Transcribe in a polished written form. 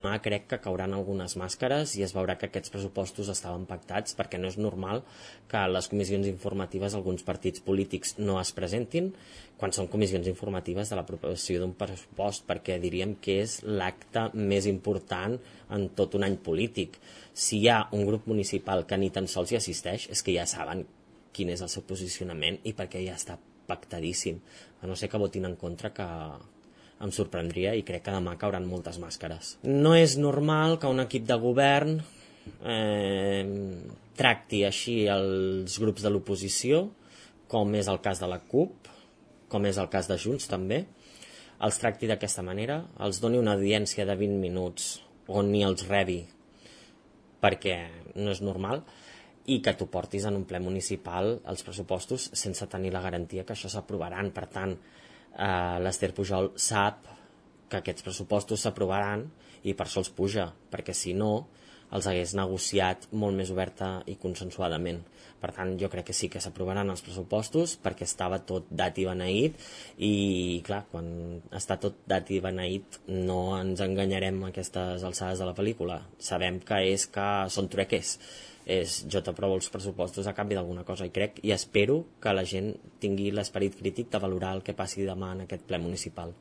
Crec que cauran algunes màscares i es veurà que aquests pressupostos estaven pactats, perquè no és normal que a les comissions informatives alguns partits polítics no es presentin quan són comissions informatives de l'aprovació d'un pressupost, perquè diríem que és l'acte més important en tot un any polític. Si hi ha un grup municipal que ni tan sols hi assisteix, és que ja saben quin és el seu posicionament i perquè ja està pactadíssim. A no ser que votin en contra, que em sorprendria, i crec que demà cauran moltes màscares. No és normal que un equip de govern tracti així els grups de l'oposició, com és el cas de la CUP, com és el cas de Junts també, els tracti d'aquesta manera, els doni una audiència de 20 minuts on ni els rebi, perquè no és normal, i que tu portis en un ple municipal els pressupostos sense tenir la garantia que això s'aprovaran. Per tant, l'Ester Pujol sap que aquests pressupostos s'aprovaran i per això els puja, perquè si no els hagués negociat molt més oberta i consensuadament. Per tant, jo crec que sí que s'aprovaran els pressupostos perquè estava tot dat i beneït, i clar, quan està tot dat i beneït no ens enganyarem a aquestes alçades de la pel·lícula. Sabem que són trueques, jo t'aprovo els pressupostos a canvi d'alguna cosa, i crec i espero que la gent tingui l'esperit crític de valorar el que passi demà en aquest ple municipal.